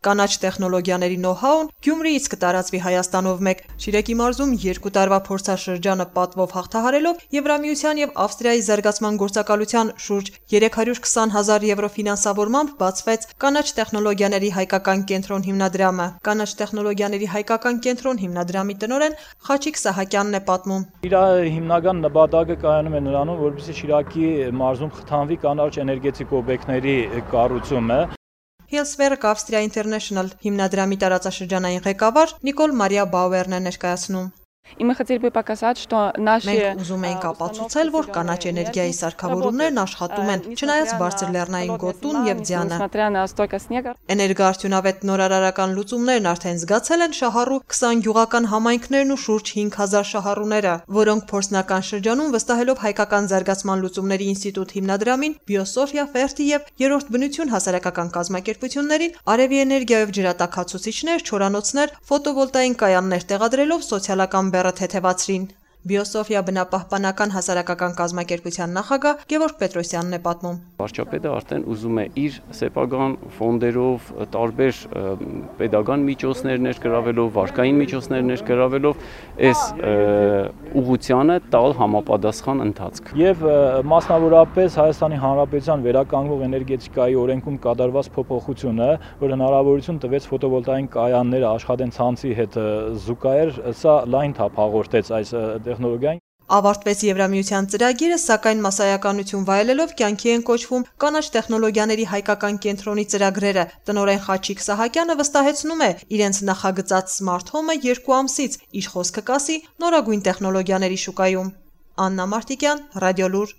Կանաչ տեխնոլոգիաների նոհ-հաուն Գյումրիից կտարածվի Հայաստանով մեկ։ Շիրակի մարզում 2 տարվա փորձաշրջանը պատվով հաղթահարելով Եվրամիության եւ Ավստրիայի զարգացման գործակալության շուրջ 320,000 եվրո ֆինանսավորմամբ բացվեց Կանաչ տեխնոլոգիաների հայկական կենտրոն հիմնադրամը։ Կանաչ տեխնոլոգիաների հայկական կենտրոն հիմնադրամի տնօրեն Խաչիկ Սահակյանն է պատմում։ Իր հիմնական նպատակը կայանում է նրանում, որպեսզի Շիրակի մարզում խթանվի կանաչ էներգետիկ օբյեկտների կառուցումը։ Հիլսվերկ Ավստրիա Ինտերնեշնլ հիմնադրամի տարածաշրջանային ղեկավար Նիկոլ Մարիա Բաուերն է ներկայացնում։ Մենք ուզում էինք ապացուցել, որ կանաչ էներգիայի սարքավորումներն աշխատում են, չնայած բարձր լեռնային գոտուն եւ ձյանը։ Էներգոարդյունավետ նորարարական լուծումներն արդեն զգացել են շահառու 20 գյուղական համայնքներն ու շուրջ 5000 շահառուները, որոնք փորձնական շրջանում վստահելով Հայկական զարգացման լուծումների ինստիտուտ հիմնադրամին, Բիոսոֆիա Ֆերտի եւ Երրորդ բնություն հասարակական կազմակերպություններին արևի էներգիայով ջրատաքացուցիչներ, չորանոցներ, ֆոտովոլտային կայաններ տեղադրելով սոցիալական բեռը թեթևացրին։ Բիոսոֆիա բնապահպանական հասարակական կազմակերպության նախագահ Գևորգ Պետրոսյանն է պատմում։ Վարչապետը արդեն ուզում է իր սեփական ֆոնդերով, տարբեր պետական միջոցներ ներգրավելով, վարկային միջոցներ ներգրավելով այս ուղղությանը տալ համապատասխան ընթացք։ Եվ մասնավորապես Հայաստանի Հանրապետության վերականգնող էներգետիկայի օրենքում կատարված փոփոխությունը, որ հնարավորություն տվեց ֆոտովոլտային կայանները աշխատեն ցանցի հետ զուգահեռ, սա լայն թափ հաղորդեց այս տեխնոլոգիային։ Ավարտվեց Եվրամիության ծրագիրը, սակայն մասսայականություն վայելելով կյանքի են կոչվում կանաչ տեխնոլոգիաների հայկական կենտրոնի ծրագրերը։ Տնօրեն Խաչիկ Սահակյանը վստահեցնում է, իրենց նախագծած Smart Home-ը 2 ամսից իր խոսքը կասի նորագույն տեխնոլոգիաների շուկայում։ Աննա Մարտիկյան, Ռադիոլուր։